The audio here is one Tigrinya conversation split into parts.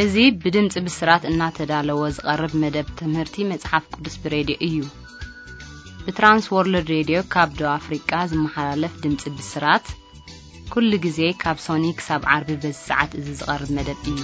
እዚ ብድምጺ ብስራት እናተዳለወ ዝቐርብ መደብ ትምህርቲ መጽሓፍ ቅዱስ ብሬድዮ እዩ። ብትራንስ ወርልድ ሬድዮ ካብ ደቡብ ኣፍሪቃ ዝመሓላለፍ ድምጺ ብስራት፣ ኩሉ ግዜ ካብ ሶኒ ክሳብ ዓርቢ በዚ ሰዓት እዚ ዝቐርብ መደብ እዩ።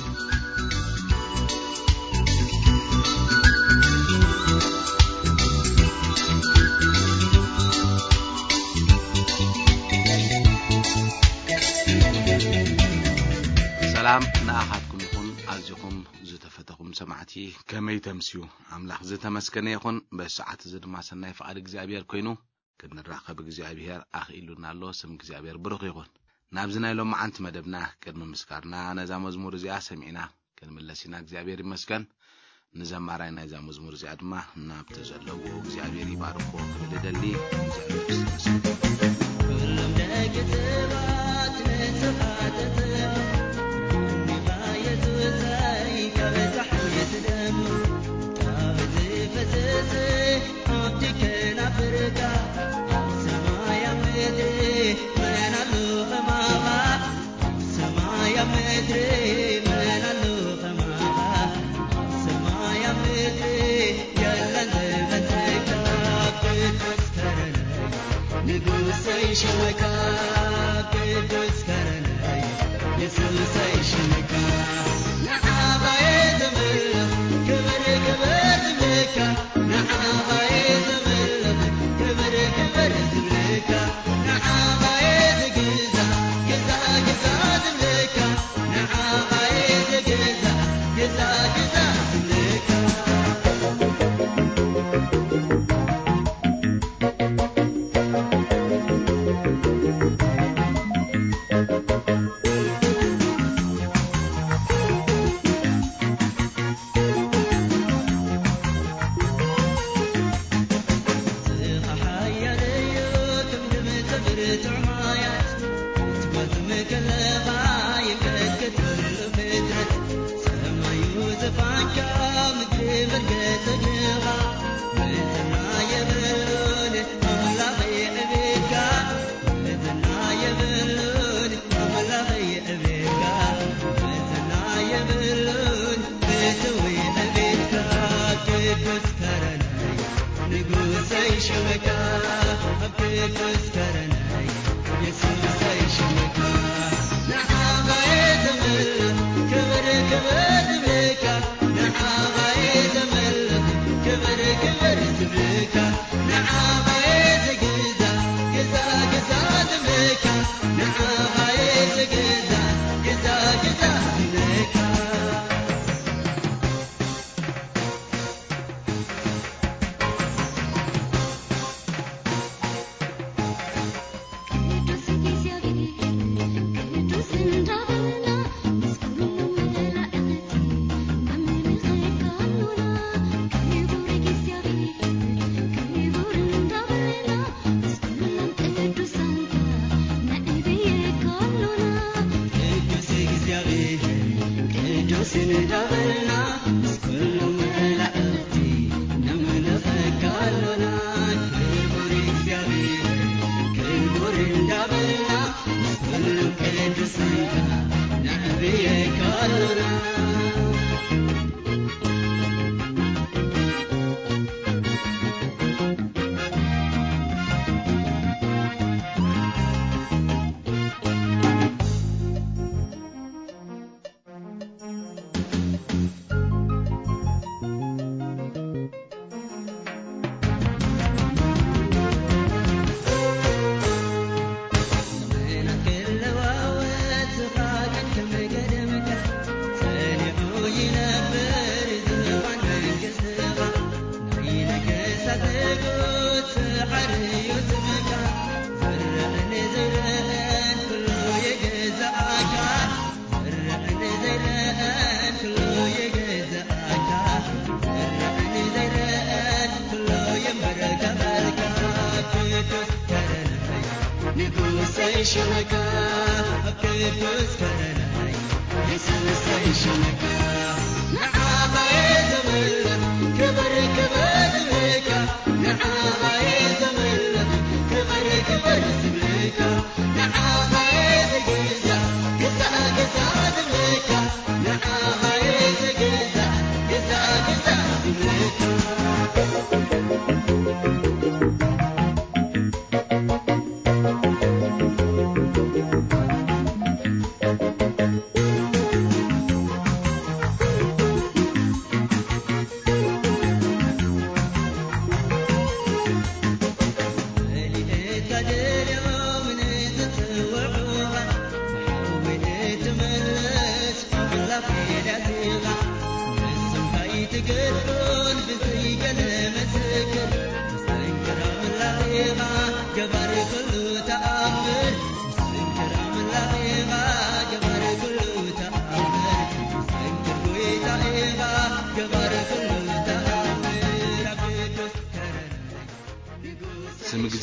ሰላም ንኣኻትኩም ይኹን፣ ኣዚኹም ዝተፈተኹም ሰማዕቲ፣ ከመይ ተምስዩ? ኣምላኽ ዝተመስገነ ይኹን። በዚ ሰዓት እዚ ድማ ሰናይ ፍቓድ እግዚኣብሔር ኮይኑ፣ ክንራኸብ እግዚኣብሔር ኣኽኢሉና ኣሎ። ስም እግዚኣብሔር ብሩኽ ይኹን። ናብዚ ናይ ሎማዓንቲ መደብና ቅድሚ ምስጋርና ነዛ መዝሙር እዚኣ ሰሚዕና ክንምለስ ኢና። እግዚኣብሔር ይመስገን። ንዘማራይ ናይዛ መዝሙር እዚኣ ድማ ናብቲ ዘለዎ እግዚኣብሔር ይባርኮ ክብል እደሊ። እግዚኣብሔር ይመስገን። ኩሎም ደቂ ሰባት ንስኻ ተስእሎ፣ ንኻ የሱሰይ ካብ ጸሓይ ትደምቕ፣ ካብ ዝፈስስ ሃብቲ ከናፍርካ፣ ኣብ ሰማይ ኣብ ምድሪ መን ኣሎ ከማኻ? ኣብ ሰማይ ኣብ ምድሪ መን ኣሎ ከማኻ? ኣብ ሰማይ ኣብ ምድሪ የለን ዝመስለካ። ቅዱስ ከረነይ ንጉሰይ ሽመካ፣ ቅዱስ ከረነይ የሱሰይ ሽመካ። ንዓኻ እየ ዘምልኽ ክብሪ ክብሪ ዝብለካ፣ ንዓኻ እየ ዘምልኽ ክብሪ ክብሪ ዝብለካ፣ ንዓኻ እየ ዝግዛእ ግዛእ ግዛእ ዝብለካ፣ ንዓኻ እየ ዝግዛእ ግዛእ ግዛእ ዝብለካ።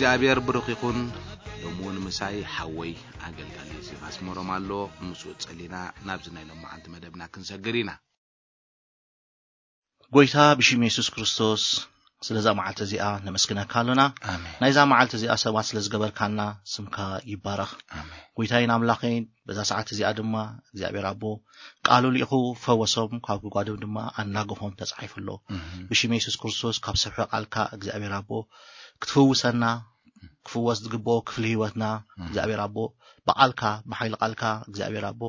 እግዚኣብሔር ብሩኽ ይኹን። ሎሚ እውን ምሳይ ሓወይ ኣገልጋሊ ዮሴፍ ኣስመሮም ኣሎ። ምስኡ ጸሊና ናብዚ ናይ ሎማዓንቲ መደብና ክንሰግር ኢና። ጎይታ ብሽም የሱስ ክርስቶስ ስለዛ መዓልቲ እዚኣ ነመስግነካ ኣሎና። ኣሜን። ናይዛ መዓልቲ እዚኣ ሰባት ስለ ዝገበርካልና ስምካ ይባረኽ። ኣሜን። ጎይታይን ኣምላኸይን በዛ ሰዓት እዚኣ ድማ እግዚኣብሔር ኣቦ ቃሉ ልኢኹ ፈወሶም፣ ካብ ጉድጓዶም ድማ ኣናገፎም ተጻሒፉ ኣሎ። እህ። ብሽም የሱስ ክርስቶስ ካብ ስፍሪ ቃልካ እግዚኣብሔር ኣቦ ክትፍውሰና፣ ክፍወስ ዝግብኦ ክፍሊ ህይወትና እህ። እግዚኣብሔር ኣቦ ብቃልካ ብሓይሊ ቃልካ እግዚኣብሔር ኣቦ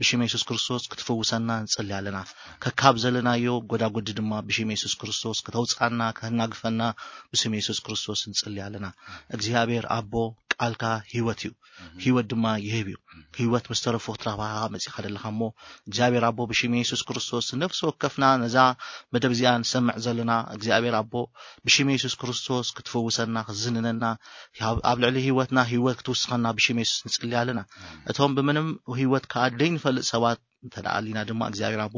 ብሽም የሱስ ክርስቶስ ክትፍውሰና ንጽሊ ኣለና። ከካብ ዘለናዮ ጎዳጉዲ ድማ ብሽም የሱስ ክርስቶስ ከተውፅኣና ከናግፈና ብስም የሱስ ክርስቶስ ንጽሊ ኣለና። እግዚኣብሔር ኣቦ ቃልካ ህይወት እዩ፣ ህይወት ድማ ይህብ እዩ። ህይወት ምስ ተረፉ ክትረኽባኻ መጺኻ ዘለኻ እሞ እግዚኣብሔር ኣቦ ብሽም የሱስ ክርስቶስ ነፍሲ ወከፍና ነዛ መደብ እዚኣ ንሰምዕ ዘለና እግዚኣብሔር ኣቦ ብሽም የሱስ ክርስቶስ ክትፈውሰና ክትዝንነና ኣብ ኣብ ልዕሊ ህይወትና ህይወት ክትውስኸና ብሽም የሱስ ንጽሊ ኣለና። እቶም ብምንም ህይወት ከኣ ደይንፈልጥ ሰባት እንተ ደኣ ኣሊና ድማ እግዚኣብሔር ኣቦ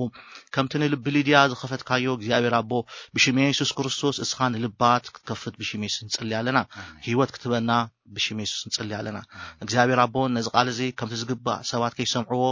ከምቲ ንልቢ ሊድያ ዝኸፈትካዮ እግዚኣብሔር ኣቦ ብሽም የሱስ ክርስቶስ እስኻ ንልባት ክትከፍት ብሽም የሱስ ንጽሊ ኣለና። ህይወት ክትበና ብሽም የሱስ ንጽሊ ኣለና። እግዚኣብሔር ኣቦ ነዚ ቃል እዚ ከምቲ ዝግባእ ሰባት ከይሰምዕዎ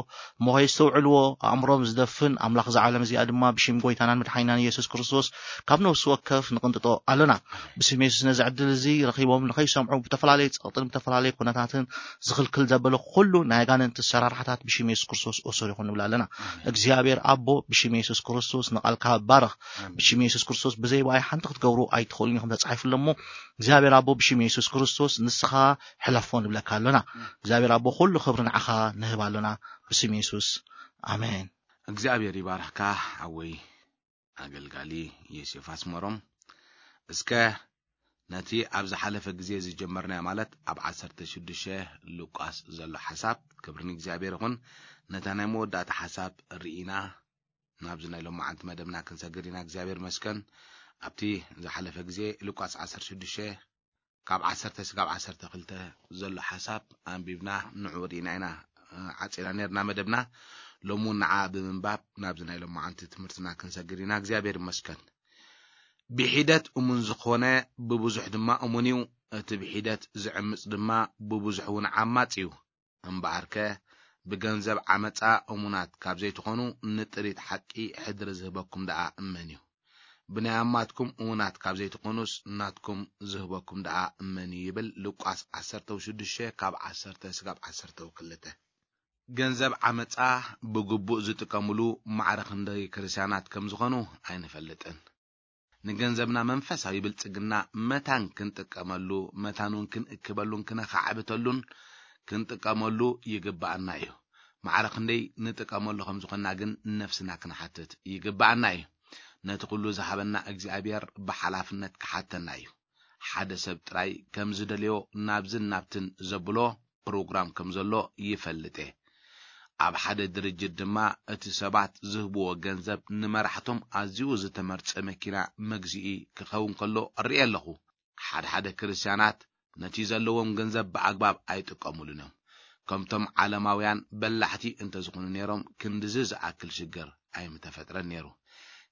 እሞ ከየስተውዕልዎ ኣእምሮም ዝደፍን ኣምላኽ እዛ ዓለም እዚኣ ድማ ብሽም ጎይታናን መድሓኒናን የሱስ ክርስቶስ ካብ ነፍሲ ወከፍ ንቕንጥጦ ኣለና። ብስም የሱስ ነዚ ዕድል እዚ ረኺቦም ንኸይሰምዑ ብተፈላለየ ጸቕጥን ብተፈላለየ ኩነታትን ዝኽልክል ዘበለ ኩሉ ናይ ኣጋንንቲ ኣሰራርሓታት ብሽም የሱስ ክርስቶስ እሱር ይኹን ንብል ኣለና። እግዚኣብሔር ኣቦ ብሽም የሱስ ክርስቶስ ንቓልካ ባርኽ። ብሽም የሱስ ክርስቶስ ብዘይ ብኣይ ሓንቲ ክትገብሩ ኣይትኽእሉን ኢኹም ተጻሒፉ ኣሎ እሞ እግዚኣብሔር ኣቦ ብሽም የሱስ ክርስቶስ ንስኻ ሕለፎ ንብለካ ኣሎና። እግዚኣብሔር ኣቦ ኩሉ ክብሪ ንዓኻ ንህብ ኣሎና ብስም የሱስ ኣሜን። እግዚኣብሔር ይባርኽካ ሓወይ ኣገልጋሊ ዮሴፍ ኣስመሮም። እስከ ነቲ ኣብ ዝሓለፈ ግዜ ዝጀመርናዮ ማለት ኣብ ዓሰርተ ሽዱሽተ ሉቃስ ዘሎ ሓሳብ ክብሪ ንእግዚኣብሔር ይኹን ነታ ናይ መወዳእታ ሓሳብ ርኢና ናብዚ ናይ ሎማዓንቲ መደብና ክንሰግር ኢና። እግዚኣብሔር መስከን ኣብቲ ዝሓለፈ ግዜ ሉቃስ ዓሰርተ ሽዱሽተ ካብ ዓሰርተ ስጋብ ዓሰርተ ክልተ ዘሎ ሓሳብ ኣንቢብና ንዑ ርኢና ኢና ዓጺና ነርና መደብና። ሎሚ እውን ንዓ ብምንባብ ናብዚ ናይ ሎማዓንቲ ትምህርትና ክንሰግር ኢና። እግዚኣብሔር ይመስገን። ብሒደት እሙን ዝኾነ ብብዙሕ ድማ እሙን እዩ። እቲ ብሒደት ዝዕምጽ ድማ ብብዙሕ እውን ዓማጽ እዩ። እምበኣርከ ብገንዘብ ዓመጻ እሙናት ካብ ዘይትኾኑ ንጥሪት ሓቂ ሕድሪ ዝህበኩም ደኣ እመን እዩ። ብናይ ኣማትኩም እሙናት ካብ ዘይትኾኑስ ናትኩም ዝህበኩም ደኣ እመን እዩ ይብል ሉቃስ ዓሰርተ ሽዱሽተ ካብ ዓሰርተ ስጋብ ዓሰርተ ክልተ። ገንዘብ ዓመጻ ብግቡእ ዝጥቀምሉ ማዕረ ክንደይ ክርስቲያናት ከም ዝኾኑ ኣይንፈልጥን። ንገንዘብና መንፈሳዊ ብልጽግና መታን ክንጥቀመሉ መታን እውን ክንእክበሉን ክነኻዕብተሉን ክንጥቀመሉ ይግብኣና እዩ። ማዕረ ክንደይ ንጥቀመሉ ከም ዝኾንና ግን ነፍስና ክንሓትት ይግብኣና እዩ። ነቲ ኩሉ ዝሃበና እግዚኣብሔር ብሓላፍነት ክሓተና እዩ። ሓደ ሰብ ጥራይ ከም ዝደልዮ ናብዝን ናብትን ዘብሎ ፕሮግራም ከም ዘሎ ይፈልጥ እየ። ኣብ ሓደ ድርጅት ድማ እቲ ሰባት ዝህብዎ ገንዘብ ንመራሕቶም ኣዝዩ ዝተመርጸ መኪና መግዝኢ ክኸውን ከሎ እርኢ ኣለኹ። ሓደ ሓደ ክርስትያናት ነቲ ዘለዎም ገንዘብ ብኣግባብ ኣይጥቀሙሉን እዮም። ከምቶም ዓለማውያን በላሕቲ እንተዝኾኑ ነይሮም ክንድዚ ዝኣክል ሽግር ኣይምተፈጥረን ነይሩ።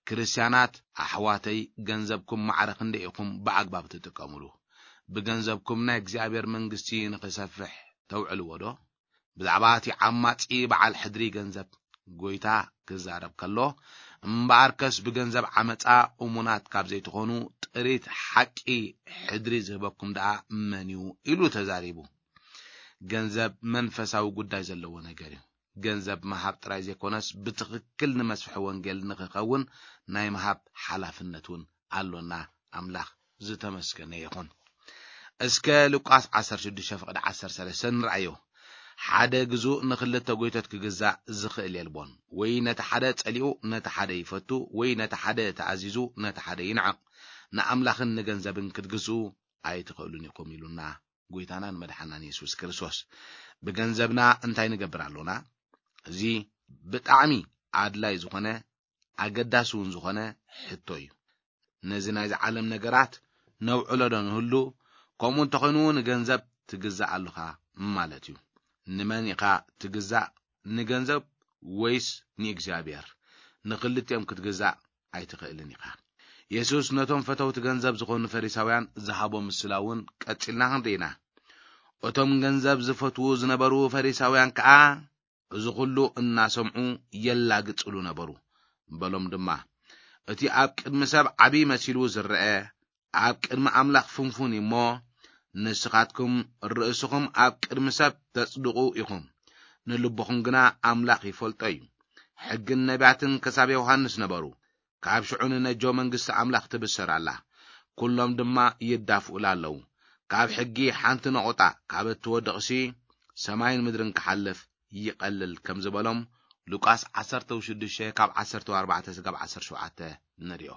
ክርስትያናት ኣሕዋተይ ገንዘብኩም ማዕረ ክንደይ ኢኹም ብኣግባብ ትጥቀሙሉ? ብገንዘብኩም ናይ እግዚኣብሔር መንግስቲ ንኽሰፍሕ ተውዕልዎ ዶ? ብዛዕባ እቲ ዓማጺ በዓል ሕድሪ ገንዘብ ጎይታ ክዛረብ ከሎ፣ እምበኣርከስ ብገንዘብ ዓመጻ እሙናት ካብ ዘይትኾኑ ጥሪት ሓቂ ሕድሪ ዝህበኩም ደኣ መን እዩ? ኢሉ ተዛሪቡ። ገንዘብ መንፈሳዊ ጉዳይ ዘለዎ ነገር እዩ። ገንዘብ ምሃብ ጥራይ ዘይኮነስ ብትኽክል ንመስፍሒ ወንጌል ንኽኸውን ናይ ምሃብ ሓላፍነት እውን ኣሎና። ኣምላኽ ዝተመስገነ ይኹን። እስከ ሉቃስ ዓሰርተ ሽዱሽተ ፍቕዲ ዓሰርተ ሰለስተ ንርኣዮ። ሓደ ግዙእ ንኽልተ ጎይቶት ክግዛእ ዝኽእል የልቦን። ወይ ነቲ ሓደ ጸሊኡ ነቲ ሓደ ይፈቱ፣ ወይ ነቲ ሓደ ተኣዚዙ ነቲ ሓደ ይንዕቕ። ንኣምላኽን ንገንዘብን ክትግዝኡ ኣይትኽእሉን ኢኹም ኢሉና ጎይታናን መድሓናን የሱስ ክርስቶስ። ብገንዘብና እንታይ ንገብር ኣሎና? እዚ ብጣዕሚ ኣድላይ ዝኾነ ኣገዳሲ እውን ዝኾነ ሕቶ እዩ። ነዚ ናይዚ ዓለም ነገራት ነውዕሎ ዶ ንህሉ? ከምኡ እንተኾይኑ ንገንዘብ ትግዛእ ኣለኻ ማለት እዩ። ንመን ኢኻ ትግዛእ? ንገንዘብ ወይስ ንእግዚኣብሔር? ንኽልቲኦም ክትግዛእ ኣይትኽእልን ኢኻ። የሱስ ነቶም ፈተውቲ ገንዘብ ዝኾኑ ፈሪሳውያን ዝሃቦ ምስላ እውን ቀጺልና ክንርኢ ኢና። እቶም ገንዘብ ዝፈትዉ ዝነበሩ ፈሪሳውያን ከኣ፣ "እዚ ኹሉ እናሰምዑ የላግጽሉ ነበሩ" በሎም ድማ፣ "እቲ ኣብ ቅድሚ ሰብ ዓቢ መሲሉ ዝረአ፣ ኣብ ቅድሚ ኣምላኽ ፍንፉን እዩ እሞ፣ ንስኻትኩም ርእስኹም ኣብ ቅድሚ ሰብ ተጽድቑ ኢኹም፣ ንልብኹም ግና ኣምላኽ ይፈልጦ እዩ። ሕግን ነቢያትን ክሳብ ዮሃንስ ነበሩ፣ ካብ ሽዑ ንነጆ መንግስቲ ኣምላኽ ትብሰር ኣላ፣ ኩሎም ድማ ይዳፍኡላ ኣለዉ። ካብ ሕጊ ሓንቲ ነቑጣ ካብ እትወድቕሲ፣ ሰማይን ምድርን ክሓልፍ ይቐልል" ከም ዝበሎም ሉቃስ ዓሰርተ ሽዱሽተ ካብ ዓሰርተ ኣርባዕተ ስጋብ ዓሰርተ ሸውዓተ ንሪኦ።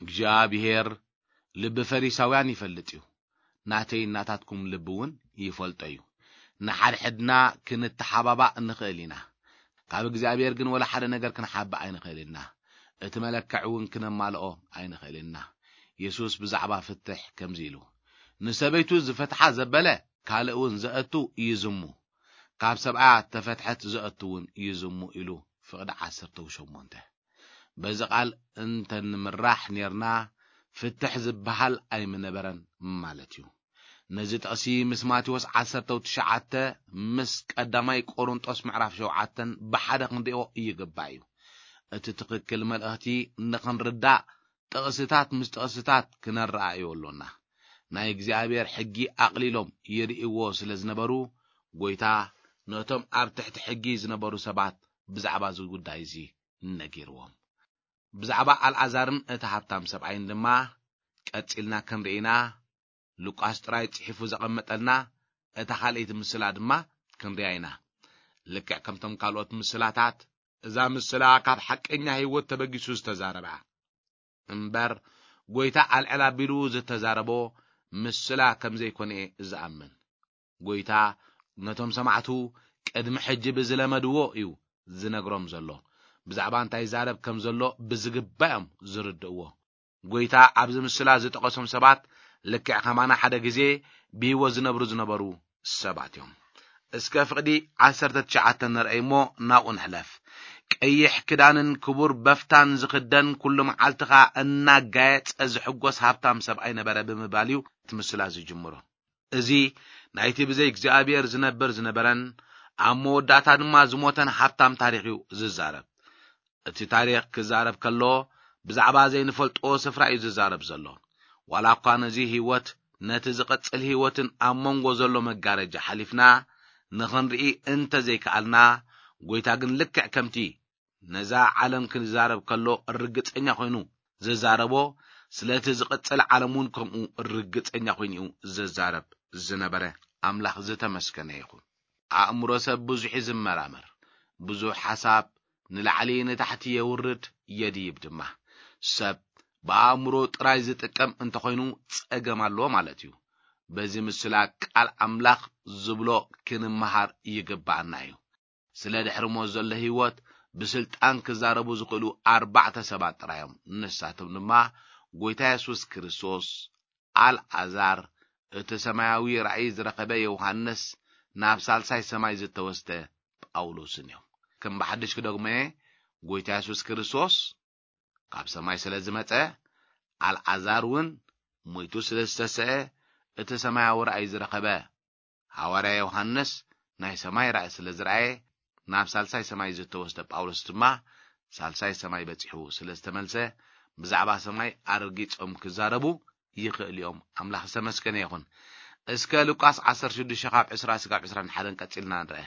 እግዚኣብሔር ልቢ ፈሪሳውያን ይፈልጥ እዩ፣ ናተይ ናታትኩም ልቢ እውን ይፈልጦ እዩ። ንሓድሕድና ክንተሓባባእ ንኽእል ኢና፣ ካብ እግዚኣብሔር ግን ወላ ሓደ ነገር ክንሓብእ ኣይንኽእል ኢና። እቲ መለክዕ እውን ክነማልኦ ኣይንኽእል ኢና። የሱስ ብዛዕባ ፍትሕ ከምዚ ኢሉ፣ "ንሰበይቱ ዝፈትሓ ዘበለ ካልእ እውን ዘእቱ ይዝሙ፣ ካብ ሰብኣያ ተፈትሐት ዘእቱ እውን ይዝሙ" ኢሉ ፍቕዲ ዓሰርተ ሸሞንተ። በዚ ቃል እንተንምራሕ ኔርና፣ ፍትሕ ዝበሃል ኣይምነበረን ማለት እዩ። ነዚ ጥቕሲ ምስ ማቴዎስ ዓሰርተ ትሽዓተ፣ ምስ ቀዳማይ ቆሮንጦስ ምዕራፍ ሸውዓተን ብሓደ ክንሪኦ ይግባእ እዩ። እቲ ትኽክል መልእኽቲ ንኽንርዳእ ጥቕስታት ምስ ጥቕስታት ክነረኣእዮ ኣሎና። ናይ እግዚኣብሔር ሕጊ ኣቕሊሎም ይርእይዎ ስለ ዝነበሩ፣ ጐይታ ነቶም ኣብ ትሕቲ ሕጊ ዝነበሩ ሰባት ብዛዕባ እዚ ጉዳይ እዚ ነጊርዎም። ብዛዕባ ኣልዓዛርን እቲ ሃብታም ሰብኣይን ድማ ቀጺልና ክንርኢ ኢና። ሉቃስ ጥራይ ጽሒፉ ዘቐመጠልና እታ ካልኣይቲ ምስላ ድማ ክንሪኣ ኢና። ልክዕ ከምቶም ካልኦት ምስላታት፣ እዛ ምስላ ካብ ሓቀኛ ህይወት ተበጊሱ ዝተዛረበ እምበር፣ ጐይታ ኣልዕል ኣቢሉ ዝተዛረቦ ምስላ ከም ዘይኮነ እየ ዝኣምን። ጐይታ ነቶም ሰማዕቱ ቅድሚ ሕጂ ብዝለመድዎ እዩ ዝነግሮም ዘሎ። ብዛዕባ እንታይ ይዛረብ ከም ዘሎ ብዝግባእ እዮም ዝርድእዎ። ጐይታ ኣብዚ ምስላ ዝጠቐሶም ሰባት ልክዕ ከማና ሓደ ግዜ ብህይወት ዝነብሩ ዝነበሩ ሰባት እዮም። እስከ ፍቕዲ ዓሰርተ ትሽዓተ ንርኣይ እሞ ናብኡ ንሕለፍ። "ቀይሕ ክዳንን ክቡር በፍታን ዝኽደን፣ ኩሉ መዓልቲ ኸኣ እናጋየጸ ዝሕጎስ ሃብታም ሰብኣይ ነበረ" ብምባል እዩ እቲ ምስላ ዝጅምሮ። እዚ ናይቲ ብዘይ እግዚኣብሔር ዝነብር ዝነበረን ኣብ መወዳእታ ድማ ዝሞተን ሃብታም ታሪኽ እዩ ዝዛረብ። እቲ ታሪኽ ክዛረብ ከሎ ብዛዕባ ዘይንፈልጦ ስፍራ እዩ ዝዛረብ ዘሎ። ዋላ እኳ ነዚ ህይወት፣ ነቲ ዝቕጽል ህይወትን ኣብ መንጎ ዘሎ መጋረጃ ሓሊፍና ንኽንርኢ እንተ ዘይከኣልና፣ ጐይታ ግን ልክዕ ከምቲ ነዛ ዓለም ክዛረብ ከሎ ርግጸኛ ኮይኑ ዝዛረቦ፣ ስለቲ ዝቕጽል ዓለም እውን ከምኡ ርግጸኛ ኮይኑ እዩ ዝዛረብ ዝነበረ። ኣምላኽ ዝተመስገነ ይኹን። ኣእምሮ ሰብ ብዙሕ እዩ ዝመራመር፣ ብዙሕ ሓሳብ ንላዕሊ ንታሕቲ የውርድ የድይብ ድማ። ሰብ ብኣእምሮ ጥራይ ዝጥቀም እንተኾይኑ ጸገም ኣለዎ ማለት እዩ። በዚ ምስላ ቃል ኣምላኽ ዝብሎ ክንመሃር ይግባኣና እዩ። ስለ ድሕሪ ሞት ዘሎ ህይወት ብስልጣን ክዛረቡ ዝኽእሉ ኣርባዕተ ሰባት ጥራይ እዮም። ንሳቶም ድማ ጐይታ የሱስ ክርስቶስ፣ ኣልዓዛር፣ እቲ ሰማያዊ ራእይ ዝረኸበ ዮሃንስ፣ ናብ ሳልሳይ ሰማይ ዝተወስደ ጳውሎስን እዮም። ከም ብሓድሽ ክደግሞ እየ፣ ጐይታ የሱስ ክርስቶስ ካብ ሰማይ ስለ ዝመጸ፣ ኣልዓዛር እውን ሞይቱ ስለ ዝተሰአ፣ እቲ ሰማያዊ ራእይ ዝረኸበ ሃዋርያ ዮሃንስ ናይ ሰማይ ራእይ ስለ ዝረኣየ፣ ናብ ሳልሳይ ሰማይ ዝተወስደ ጳውሎስ ድማ ሳልሳይ ሰማይ በጺሑ ስለ ዝተመልሰ፣ ብዛዕባ ሰማይ ኣረጊጾም ክዛረቡ ይኽእል እዮም። ኣምላኽ ዝተመስገነ ይኹን። እስከ ሉቃስ ዓሰርተ ሽዱሽተ ካብ ዕስራ ስጋብ ዕስራን ሓደን ቀጺልና ንርአ።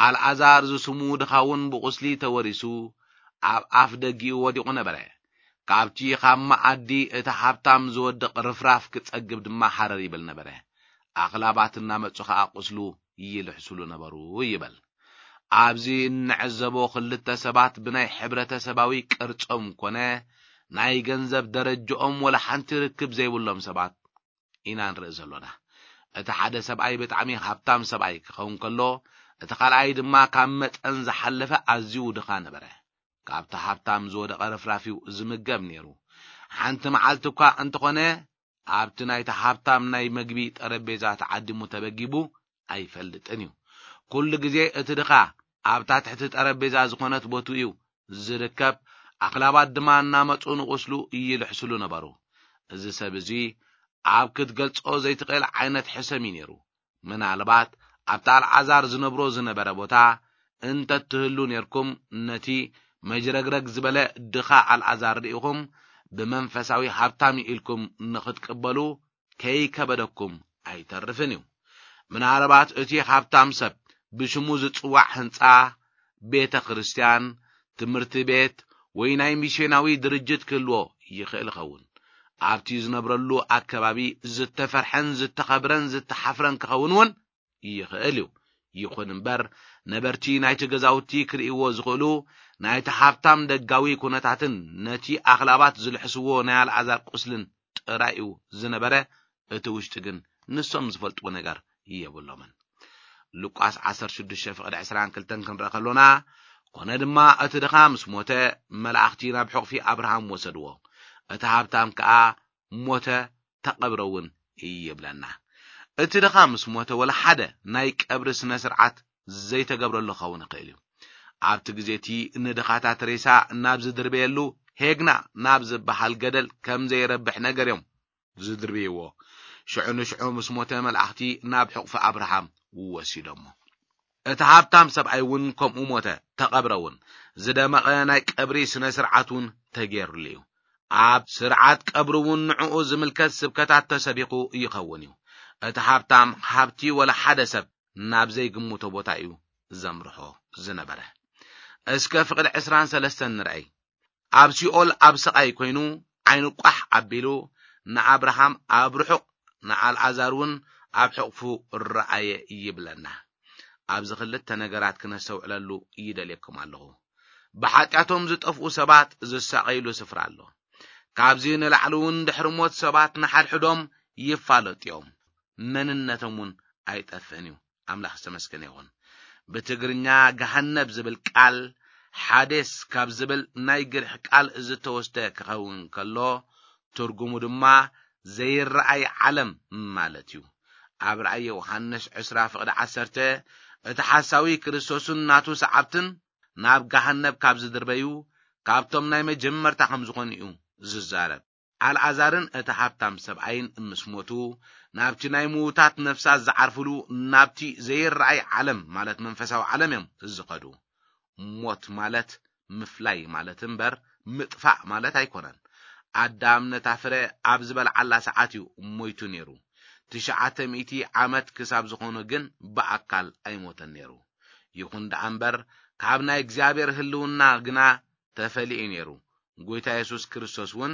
ኣልዓዛር ዝስሙ ድኻ እውን ብቑስሊ ተወሪሱ ኣብ ኣፍ ደጊኡ ወዲቑ ነበረ። ካብቲ ካብ መኣዲ እቲ ሃብታም ዝወድቕ ርፍራፍ ክጸግብ ድማ ሃረር ይብል ነበረ። ኣኽላባት እናመጹ ኸኣ ቁስሉ ይልሕስሉ ነበሩ ይብል። ኣብዚ እንዕዘቦ ክልተ ሰባት ብናይ ሕብረተሰባዊ ቅርጾም ኮነ ናይ ገንዘብ ደረጅኦም ወላ ሓንቲ ርክብ ዘይብሎም ሰባት ኢና ንርኢ ዘሎና። እቲ ሓደ ሰብኣይ ብጣዕሚ ሃብታም ሰብኣይ ክኸውን ከሎ፣ እቲ ካልኣይ ድማ ካብ መጠን ዝሓለፈ ኣዝዩ ድኻ ነበረ። ካብቲ ሃብታም ዝወደቐ ርፍራፍ እዩ ዝምገብ ነይሩ። ሓንቲ መዓልቲ እኳ እንተኾነ፣ ኣብቲ ናይቲ ሃብታም ናይ መግቢ ጠረጴዛ ተዓዲሙ ተበጊቡ ኣይፈልጥን እዩ። ኩሉ ግዜ እቲ ድኻ ኣብታ ትሕቲ ጠረጴዛ ዝኾነት ቦቱ እዩ ዝርከብ። ኣኽላባት ድማ እናመጹ ንቑስሉ ይልሕስሉ ነበሩ። እዚ ሰብ እዚ ኣብ ክትገልጾ ዘይትኽእል ዓይነት ሕሰም እዩ ነይሩ። ምናልባት ኣብቲ ኣልዓዛር ዝነብሮ ዝነበረ ቦታ እንተ ትህሉ ነርኩም፣ ነቲ መጅረግረግ ዝበለ ድኻ ኣልዓዛር ርኢኹም ብመንፈሳዊ ሃብታም እዩ ኢልኩም ንኽትቅበሉ ከይከበደኩም ኣይተርፍን እዩ። ምናልባት እቲ ሃብታም ሰብ ብሽሙ ዝጽዋዕ ህንጻ፣ ቤተ ክርስቲያን፣ ትምህርቲ ቤት ወይ ናይ ሚስዮናዊ ድርጅት ክህልዎ ይኽእል ይኸውን። ኣብቲ ዝነብረሉ ኣከባቢ ዝተፈርሐን ዝተኸብረን ዝተሓፍረን ክኸውን እውን ይኽእል እዩ። ይኹን እምበር፣ ነበርቲ ናይቲ ገዛውቲ ክርእይዎ ዝኽእሉ ናይቲ ሃብታም ደጋዊ ኩነታትን ነቲ ኣኽላባት ዝልሕስዎ ናይ ኣልዓዛር ቁስልን ጥራይ እዩ ዝነበረ። እቲ ውሽጢ ግን ንሶም ዝፈልጥዎ ነገር የብሎምን። ሉቃስ ዓሰርተ ሽዱሽተ ፍቕዲ ዕስራን ክልተን ክንርኢ ከሎና፣ ኮነ ድማ እቲ ድኻ ምስ ሞተ፣ መላእኽቲ ናብ ሕቑፊ ኣብርሃም ወሰድዎ። እቲ ሃብታም ከኣ ሞተ፣ ተቐብረ እውን ይብለና። እቲ ድኻ ምስ ሞተ፣ ወላ ሓደ ናይ ቀብሪ ስነ ስርዓት ዘይተገብረሉ ክኸውን ይኽእል እዩ። ኣብቲ ግዜ እቲ ንድኻታት ሬሳ ናብ ዝድርበየሉ ሄግና ናብ ዝበሃል ገደል ከም ዘይረብሕ ነገር እዮም ዝድርብይዎ። ሽዑ ንሽዑ ምስ ሞተ፣ መላእኽቲ ናብ ሕቑፊ ኣብርሃም ወሲዶሞ። እቲ ሃብታም ሰብኣይ እውን ከምኡ ሞተ፣ ተቐብረ እውን። ዝደመቐ ናይ ቀብሪ ስነ ስርዓት እውን ተገይሩሉ እዩ። ኣብ ስርዓት ቀብሪ እውን ንዕኡ ዝምልከት ስብከታት ተሰቢኹ ይኸውን እዩ። እቲ ሃብታም ሃብቲ ወላ ሓደ ሰብ ናብ ዘይግምቶ ቦታ እዩ ዘምርሖ ዝነበረ። እስከ ፍቕዲ ዕስራን ሰለስተን ንርኣይ። ኣብ ሲኦል ኣብ ስቓይ ኮይኑ፣ ዓይኑ ቋሕ ኣቢሉ፣ ንኣብርሃም ኣብ ርሑቕ፣ ንኣልዓዛር እውን ኣብ ሕቕፉ ረኣየ ይብለና። ኣብዚ ክልተ ነገራት ክነስተውዕለሉ ይደልየኩም ኣለኹ። ብሓጢኣቶም ዝጠፍኡ ሰባት ዝሳቐይሉ ስፍራ ኣሎ። ካብዚ ንላዕሊ እውን ድሕሪ ሞት ሰባት ንሓድሕዶም ይፋለጡ እዮም። መንነቶም እውን ኣይጠፍእን እዩ። ኣምላኽ ዝተመስገነ ይኹን። ብትግርኛ ገሃነብ ዝብል ቃል ሓዴስ ካብ ዝብል ናይ ግሪኽ ቃል ዝተወስደ ክኸውን ከሎ፣ ትርጉሙ ድማ ዘይረኣይ ዓለም ማለት እዩ። ኣብ ራእይ ዮሃንስ ዕስራ ፍቕዲ ዓሰርተ፣ እቲ ሓሳዊ ክርስቶስን ናቱ ሰዓብትን ናብ ገሃነብ ካብ ዝድርበዩ፣ ካብቶም ናይ መጀመርታ ከም ዝኾኑ እዩ ዝዛረብ። ኣልዓዛርን እቲ ሃብታም ሰብኣይን ምስ ሞቱ፣ ናብቲ ናይ ምዉታት ነፍሳት ዝዓርፍሉ፣ ናብቲ ዘይረኣይ ዓለም፣ ማለት መንፈሳዊ ዓለም እዮም ዝኸዱ። ሞት ማለት ምፍላይ ማለት እምበር ምጥፋእ ማለት ኣይኮነን። ኣዳም ነታ ፍረ ኣብ ዝበልዓላ ሰዓት እዩ ሞይቱ ነይሩ። ትሽዓተ ሚእቲ ዓመት ክሳብ ዝኾኑ ግን ብኣካል ኣይሞተን ነይሩ። ይኹን ደኣ እምበር፣ ካብ ናይ እግዚኣብሔር ህልውና ግና ተፈሊኡ ነይሩ። ጎይታ የሱስ ክርስቶስ እውን፣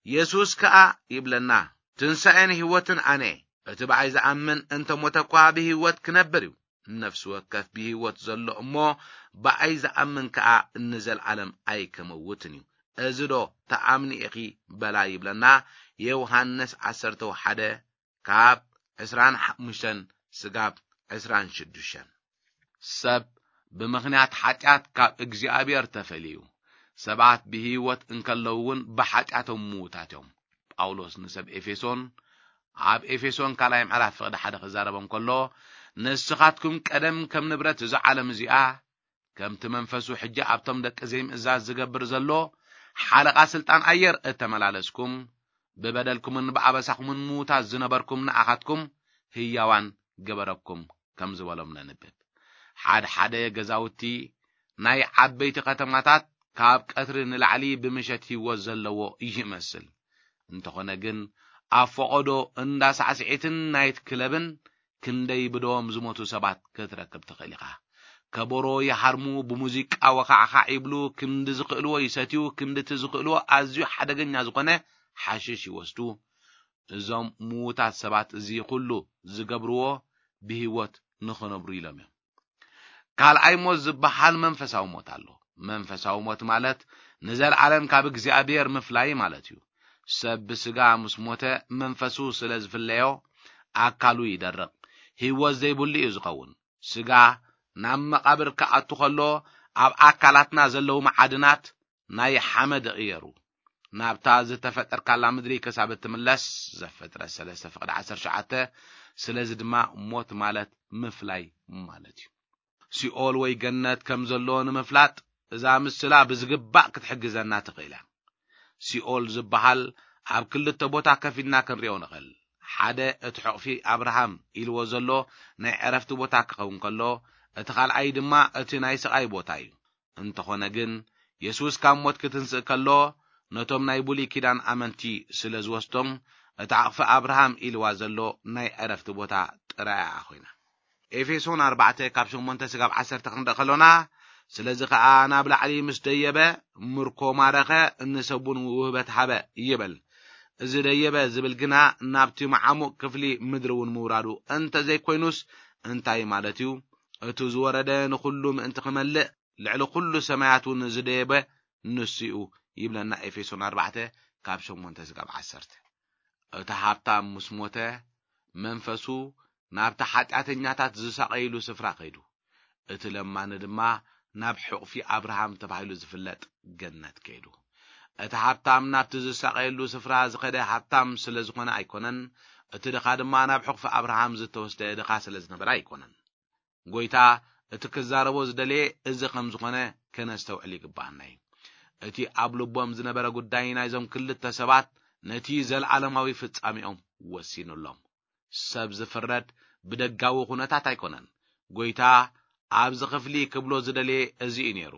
የሱስ ከኣ ይብለና፣ "ትንሳኤን ህይወትን ኣነ እየ። እቲ ብኣይ ዝኣምን እንተ ሞተ እኳ ብህይወት ክነብር እዩ። ነፍሲ ወከፍ ብህይወት ዘሎ እሞ ብኣይ ዝኣምን ከኣ ንዘለኣለም ኣይከመውትን እዩ። እዚ ዶ ተኣምኒ ኢኺ?" በላ ይብለና ዮሃንስ ዓሰርተ ሓደ ካብ ዕስራን ሓሙሽተን ስጋብ ዕስራን ሽዱሽተን። ሰብ ብምኽንያት ሓጢኣት ካብ እግዚኣብሔር ተፈልዩ። ሰባት ብህይወት እንከለዉ እውን ብሓጢኣቶም ምዉታት እዮም። ጳውሎስ ንሰብ ኤፌሶን ኣብ ኤፌሶን ካልኣይ ምዕራፍ ፍቕዲ ሓደ ክዛረቦም ከሎ፣ "ንስኻትኩም ቀደም ከም ንብረት እዛ ዓለም እዚኣ፣ ከምቲ መንፈሱ ሕጂ ኣብቶም ደቂ ዘይምእዛዝ ዝገብር ዘሎ ሓለቓ ስልጣን ኣየር እተመላለስኩም፣ ብበደልኩምን ብኣበሳኹምን ምዉታት ዝነበርኩም ንኣኻትኩም ህያዋን ገበረኩም" ከም ዝበሎም ነንብብ። ሓደ ሓደ ገዛውቲ ናይ ዓበይቲ ከተማታት ካብ ቀትሪ ንላዕሊ ብምሸት ህይወት ዘለዎ ይመስል። እንተኾነ ግን፣ ኣብ ፈቐዶ እንዳ ሳዕስዒትን ናይት ክለብን ክንደይ ብደዎም ዝሞቱ ሰባት ክትረክብ ትኽእል ኢኻ። ከበሮ ይሃርሙ፣ ብሙዚቃ ወኻዕኻዕ ይብሉ፣ ክንዲ ዝኽእልዎ ይሰትዩ፣ ክንዲ እቲ ዝኽእልዎ ኣዝዩ ሓደገኛ ዝኾነ ሓሽሽ ይወስዱ። እዞም ምዉታት ሰባት እዚ ኩሉ ዝገብርዎ ብህይወት ንኽነብሩ ኢሎም እዮም። ካልኣይ ሞት ዝበሃል መንፈሳዊ ሞት ኣሎ። መንፈሳዊ ሞት ማለት ንዘለኣለም ካብ እግዚኣብሔር ምፍላይ ማለት እዩ። ሰብ ብስጋ ምስ ሞተ፣ መንፈሱ ስለ ዝፍለዮ፣ ኣካሉ ይደርቕ፣ ህይወት ዘይብሉ እዩ ዝኸውን። ስጋ ናብ መቓብር ክኣቱ ከሎ፣ ኣብ ኣካላትና ዘለዉ መዓድናት ናይ ሓመድ ይቕየሩ። ናብታ ዝተፈጠርካላ ምድሪ ክሳብ እትምለስ፣ ዘፍጥረት ሰለስተ ፍቕዲ ዓሰርተ ትሽዓተ። ስለዚ ድማ ሞት ማለት ምፍላይ ማለት እዩ። ሲኦል ወይ ገነት ከም ዘሎ ንምፍላጥ፣ እዛ ምስላ ብዝግባእ ክትሕግዘና ትኽእል እያ። ሲኦል ዝበሃል ኣብ ክልተ ቦታ ከፊልና ክንሪኦ ንኽእል። ሓደ እቲ ሕቕፊ ኣብርሃም ኢልዎ ዘሎ ናይ ዕረፍቲ ቦታ ክኸውን ከሎ፣ እቲ ካልኣይ ድማ እቲ ናይ ስቓይ ቦታ እዩ። እንተኾነ ግን፣ የሱስ ካብ ሞት ክትንስእ ከሎ፣ ነቶም ናይ ብሉይ ኪዳን ኣመንቲ ስለ ዝወስዶም፣ እቲ ዓቕፊ ኣብርሃም ኢልዋ ዘሎ ናይ ዕረፍቲ ቦታ ጥራይ እያ ኮይና። ኤፌሶን ኣርባዕተ ካብ ሸሞንተ ስጋብ ዓሰርተ ክንርኢ ከሎና፣ ስለዚ ኸኣ ናብ ላዕሊ ምስ ደየበ፣ ምርኮ ማረኸ፣ ንሰብ እውን ውህበት ሃበ ይብል። እዚ ደየበ ዝብል ግና ናብቲ መዓሙቕ ክፍሊ ምድሪ እውን ምውራዱ እንተ ዘይኮይኑስ እንታይ ማለት እዩ? እቱ ዝወረደ ንኹሉ ምእንቲ ክመልእ፣ ልዕሊ ኩሉ ሰማያት እውን ዝደየበ ንሱ እዩ ይብለና ኤፌሶን ኣርባዕተ ካብ ሸሞንተ ስጋብ ዓሰርተ። እቲ ሃብታም ምስ ሞተ፣ መንፈሱ ናብቲ ሓጢኣተኛታት ዝሳቐይሉ ስፍራ ከይዱ፣ እቲ ለማኒ ድማ ናብ ሕቑፊ ኣብርሃም ተባሂሉ ዝፍለጥ ገነት ከይዱ። እቲ ሃብታም ናብቲ ዝሳቐየሉ ስፍራ ዝኸደ ሃብታም ስለ ዝኾነ ኣይኮነን፣ እቲ ድኻ ድማ ናብ ሕቑፊ ኣብርሃም ዝተወስደ ድኻ ስለ ዝነበረ ኣይኮነን። ጎይታ እቲ ክዛረቦ ዝደለየ እዚ ከም ዝኾነ ከነስተውዕል ይግባኣና እዩ። እቲ ኣብ ልቦም ዝነበረ ጉዳይ ናይዞም ክልተ ሰባት ነቲ ዘለዓለማዊ ፍጻሜኦም ወሲኑሎም። ሰብ ዝፍረድ ብደጋዊ ኩነታት ኣይኮነን። ጎይታ ኣብዚ ክፍሊ ክብሎ ዝደለየ እዚ እዩ ነይሩ።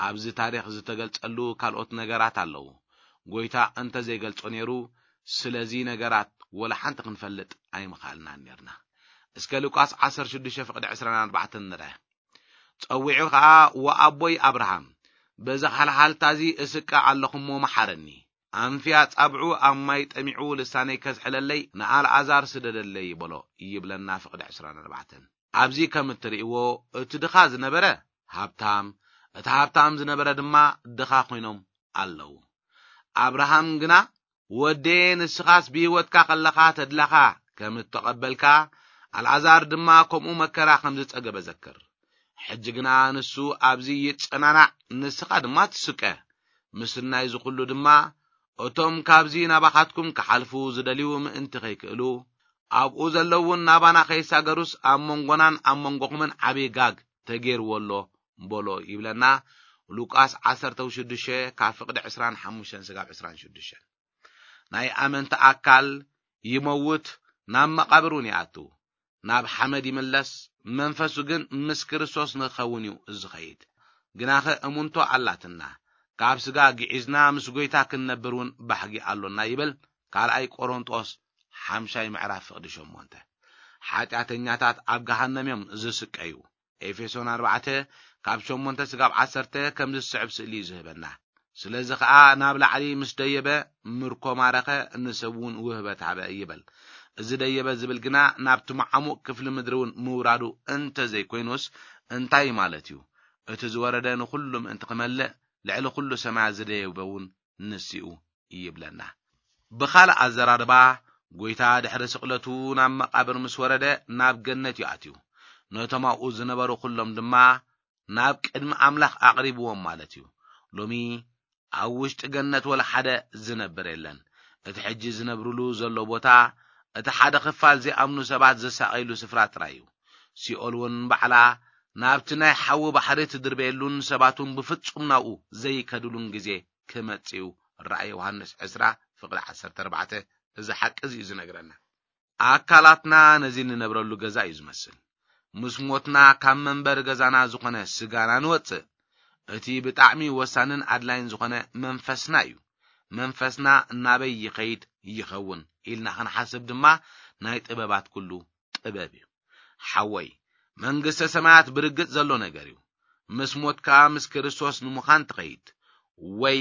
ኣብዚ ታሪኽ ዝተገልጸሉ ካልኦት ነገራት ኣለዉ። ጎይታ እንተ ዘይገልጾ ነይሩ፣ ስለዚ ነገራት ወላ ሓንቲ ክንፈልጥ ኣይምኻልናን ነርና። እስከ ሉቃስ ዓሰርተ ሽዱሽተ ፍቕዲ ዕስራን ኣርባዕተን ንርአ። ጸዊዑ ኸኣ፣ "ወኣቦይ ኣብርሃም፣ በዚ ሃልሃልታ እዚ እስቀ ኣለኹ እሞ መሓረኒ። ኣንፍያ ጻብዑ ኣብ ማይ ጠሚዑ ልሳነይ ከዝሕለለይ ንኣልኣዛር ስደደለይ" በሎ ይብለና ፍቕዲ ዕስራን ኣርባዕተን። ኣብዚ ከም እትርእይዎ፣ እቲ ድኻ ዝነበረ ሃብታም፣ እቲ ሃብታም ዝነበረ ድማ ድኻ ኮይኖም ኣለዉ። ኣብርሃም ግና፣ "ወደየ፣ ንስኻስ ብህይወትካ ከለኻ ተድላኻ ከም እተቐበልካ፣ ኣልኣዛር ድማ ከምኡ መከራ ከም ዝጸገበ ዘክር። ሕጂ ግና ንሱ ኣብዚ ይጸናናዕ፣ ንስኻ ድማ ትስቀ። ምስናይ እዚ ኩሉ ድማ፣ እቶም ካብዚ ናባኻትኩም ክሓልፉ ዝደልዩ ምእንቲ ከይክእሉ፣ ኣብኡ ዘለዉ እውን ናባና ከይሳገሩስ ኣብ መንጎናን ኣብ መንጎኹምን ዓብዪ ጋግ ተገይርዎ ኣሎ" በሎ ይብለና ሉቃስ ዓሰርተ ሽዱሽተ ካብ ፍቕዲ ዕስራን ሓሙሽተን ስጋብ ዕስራን ሽዱሽተን። ናይ ኣመንቲ ኣካል ይመውት፣ ናብ መቓብር እውን ይኣቱ፣ ናብ ሓመድ ይምለስ፣ መንፈሱ ግን ምስ ክርስቶስ ንክኸውን እዩ ዝኸይድ። ግናኸ እሙንቶ ኣላትና፣ ካብ ስጋ ግዒዝና ምስ ጎይታ ክንነብር እውን ባህጊ ኣሎና ይብል ካልኣይ ቆሮንጦስ ሓምሻይ ምዕራፍ ፍቕዲ ሸሞንተ። ሓጢኣተኛታት ኣብ ገሃነም እዮም ዝስቀዩ። ኤፌሶን ኣርባዕተ ካብ ሸሞንተ ስጋብ ዓሰርተ ከምዚ ዝስዕብ ስእሊ እዩ ዝህበና። ስለዚ ኸኣ ናብ ላዕሊ ምስ ደየበ ምርኮ ማረኸ፣ ንሰብ እውን ውህበት ሃበ ይብል። እዚ ደየበ ዝብል ግና ናብቲ መዓሙቕ ክፍሊ ምድሪ እውን ምውራዱ እንተ ዘይኮይኑስ እንታይ ማለት እዩ? እቲ ዝወረደ ንኹሉ ምእንቲ ክመልእ ልዕሊ ኩሉ ሰማያት ዝደየበ እውን ንሱ እዩ ይብለና። ብኻልእ ኣዘራርባ፣ ጎይታ ድሕሪ ስቕለቱ ናብ መቓብር ምስ ወረደ ናብ ገነት እዩ ኣትዩ። ነቶም ኣብኡ ዝነበሩ ኩሎም ድማ ናብ ቅድሚ ኣምላኽ ኣቕሪብዎም ማለት እዩ። ሎሚ ኣብ ውሽጢ ገነት ወላ ሓደ ዝነብር የለን። እቲ ሕጂ ዝነብርሉ ዘሎ ቦታ፣ እቲ ሓደ ክፋል ዘይኣምኑ ሰባት ዝሳቐይሉ ስፍራ ጥራይ እዩ። ሲኦል እውን ባዕላ ናብቲ ናይ ሓዊ ባሕሪ ትድርበየሉን ሰባት እውን ብፍጹም ናብኡ ዘይከድሉን ግዜ ክመጽእ እዩ። ራእይ ዮሃንስ ዕስራ ፍቕዲ ዓሰርተ ኣርባዕተ እዚ ሓቂ እዚ እዩ ዝነግረና። ኣካላትና ነዚ እንነብረሉ ገዛ እዩ ዝመስል። ምስ ሞትና ካብ መንበሪ ገዛና ዝኾነ ስጋና ንወጽእ። እቲ ብጣዕሚ ወሳንን ኣድላይን ዝኾነ መንፈስና እዩ። መንፈስና ናበይ ይኸይድ ይኸውን ኢልና ክንሓስብ ድማ ናይ ጥበባት ኩሉ ጥበብ እዩ። ሓወይ፣ መንግስተ ሰማያት ብርግጽ ዘሎ ነገር እዩ። ምስ ሞትካ ምስ ክርስቶስ ንምዃን ትኸይድ፣ ወይ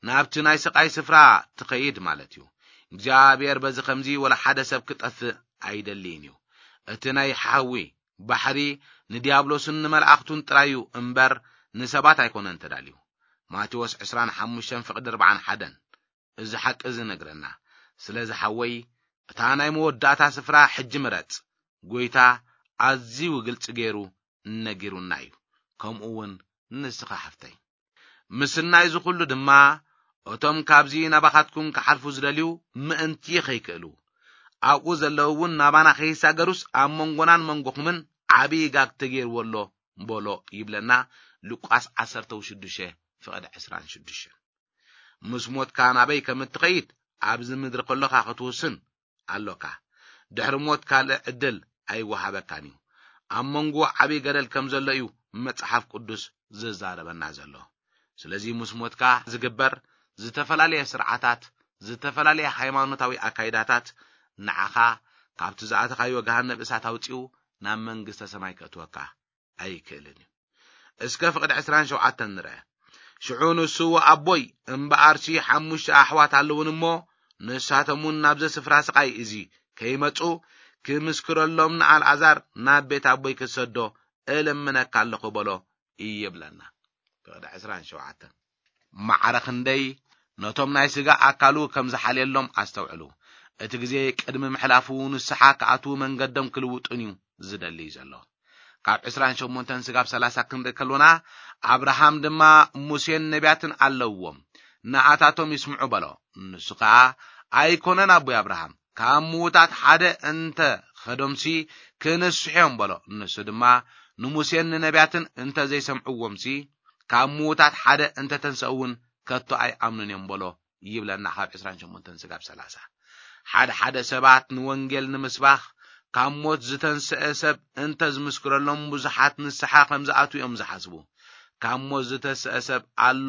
ናብቲ ናይ ስቓይ ስፍራ ትኸይድ ማለት እዩ። እግዚኣብሔር በዚ ኸምዚ ወላ ሓደ ሰብ ክጠፍእ ኣይደልይን እዩ። እቲ ናይ ሓዊ ባሕሪ ንዲያብሎስን ንመላእኽቱን ጥራይ እዩ እምበር ንሰባት ኣይኮነን ተዳልዩ። ማቴዎስ ዕስራን ሓሙሽተን ፍቕዲ ኣርባዓን ሓደን። እዚ ሓቂ እዚ ነግረና። ስለዚ ሓወይ፣ እታ ናይ መወዳእታ ስፍራ ሕጂ ምረጽ። ጎይታ ኣዝዩ ግልጺ ገይሩ ነጊሩና እዩ። ከምኡ እውን ንስኻ ሓፍተይ። ምስናይ እዚ ኩሉ ድማ፣ እቶም ካብዚ ናባኻትኩም ክሓልፉ ዝደልዩ ምእንቲ ኸይክእሉ፣ ኣብኡ ዘለዉ እውን ናባና ኸይሳገሩስ ኣብ መንጎናን መንጎኹምን ዓብዪ ጋግ ተገይርዎ ኣሎ በሎ ይብለና ሉቃስ ዓሰርተ ሽዱሽተ ፍቕዲ ዕስራን ሽዱሽተን። ምስ ሞትካ ናበይ ከም እትኸይድ ኣብዚ ምድሪ ከሎኻ ክትውስን ኣሎካ። ድሕሪ ሞት ካልእ ዕድል ኣይወሃበካን እዩ። ኣብ መንጎ ዓብዪ ገደል ከም ዘሎ እዩ መጽሓፍ ቅዱስ ዝዛረበና ዘሎ። ስለዚ ምስ ሞትካ ዝግበር ዝተፈላለየ ስርዓታት፣ ዝተፈላለየ ሃይማኖታዊ ኣካይዳታት ንዓኻ ካብቲ ዝኣተኻዮ ገሃነብ እሳት ኣውጺኡ ናብ መንግስተ ሰማይ ከእትወካ ኣይክእልን እዩ። እስከ ፍቕዲ ዕስራን ሸውዓተን ንርአ። ሽዑ ንሱ፣ "ኣቦይ፣ እምበኣርሲ ሓሙሽተ ኣሕዋት ኣለውን እሞ፣ ንሳቶም እውን ናብዚ ስፍራ ስቓይ እዚ ከይመጹ ክምስክረሎም ንኣልኣዛር ናብ ቤት ኣቦይ ክትሰዶ እልምነካ ኣለኹ" በሎ ይብለና። ፍቕዲ ዕስራን ሸውዓተን። ማዕረ ክንደይ ነቶም ናይ ስጋ ኣካሉ ከም ዝሓልየሎም ኣስተውዕሉ። እቲ ግዜ ቅድሚ ምሕላፉ ንስሓ ክኣትዉ መንገዶም ክልውጡን እዩ ዝደሊ ዘሎ። ካብ ዕስራን ሸሞንተን ስጋብ ሰላሳ ክንርኢ ከሎና፣ ኣብርሃም ድማ ሙሴን ነቢያትን ኣለውዎም፣ ንኣታቶም ይስምዑ በሎ። ንሱ ኸኣ፣ "ኣይኮነን ኣቦይ ኣብርሃም፣ ካብ ምዉታት ሓደ እንተ ኸዶምሲ ክንስሑ እዮም" በሎ። ንሱ ድማ፣ "ንሙሴን ንነቢያትን እንተ ዘይሰምዕዎምሲ፣ ካብ ምዉታት ሓደ እንተ ተንሰኡ እውን ከቶ ኣይኣምኑን እዮም" በሎ ይብለና ካብ ዕስራን ሸሞንተን ስጋብ ሰላሳ። ሓደ ሓደ ሰባት ንወንጌል ንምስባኽ ካብ ሞት ዝተንስአ ሰብ እንተ ዝምስክረሎም ብዙሓት ንስሓ ከም ዝኣትዉ እዮም ዝሓስቡ። ካብ ሞት ዝተስአ ሰብ ኣሎ፣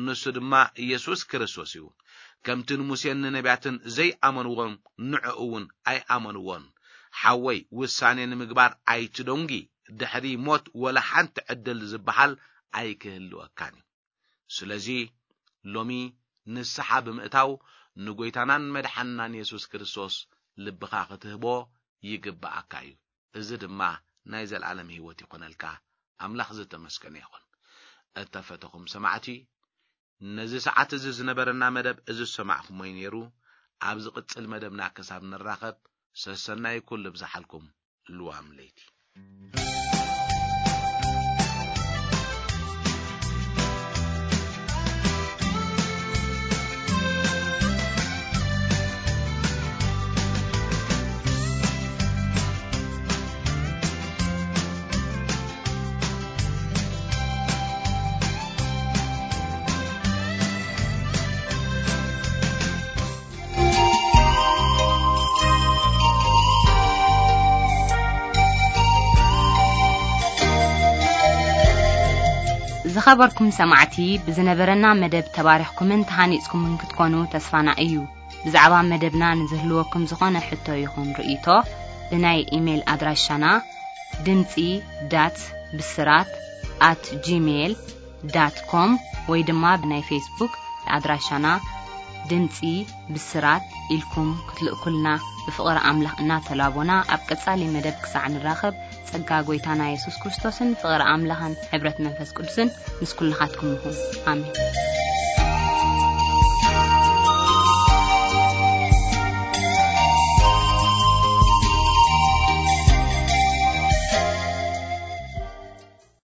ንሱ ድማ ኢየሱስ ክርስቶስ እዩ። ከምቲ ንሙሴን ንነቢያትን ዘይኣመንዎም ንዕኡ እውን ኣይኣመንዎን። ሓወይ፣ ውሳኔ ንምግባር ኣይትደንጊ። ድሕሪ ሞት ወላ ሓንቲ ዕድል ዝበሃል ኣይክህልወካን እዩ። ስለዚ ሎሚ ንስሓ ብምእታው ንጎይታናን መድሓንናን የሱስ ክርስቶስ ልብኻ ክትህቦ ይግብኣካ እዩ። እዚ ድማ ናይ ዘለኣለም ህይወት ይኾነልካ። ኣምላኽ ዝተመስገነ ይኹን። እተፈተኹም ሰማዕቲ፣ ነዚ ሰዓት እዚ ዝነበረና መደብ እዚ ዝሰማዕኩሞ እዩ ነይሩ። ኣብ ዝቕጽል መደብና ክሳብ ንራኸብ፣ ሰሰናይ ኩሉ ብዝሓልኩም። ልዋም ለይቲ። ዝኸበርኩም ሰማዕቲ፣ ብዝነበረና መደብ ተባሪኽኩምን ተሃኒጽኩምን ክትኮኑ ተስፋና እዩ። ብዛዕባ መደብና ንዝህልወኩም ዝኾነ ሕቶ ይኹን ርእይቶ፣ ብናይ ኢሜይል ኣድራሻና ድምጺ ዳት ብስራት ኣት ጂሜይል ዳት ኮም ወይ ድማ ብናይ ፌስቡክ ኣድራሻና ድምጺ ብስራት ኢልኩም ክትልእኩልና ብፍቕሪ ኣምላኽ እናተላቦና፣ ኣብ ቀጻሊ መደብ ክሳዕ ንራኸብ፣ ጸጋ ጐይታና የሱስ ክርስቶስን ፍቕሪ ኣምላኽን ሕብረት መንፈስ ቅዱስን ምስ ኩልኻትኩም ይኹን። ኣሜን።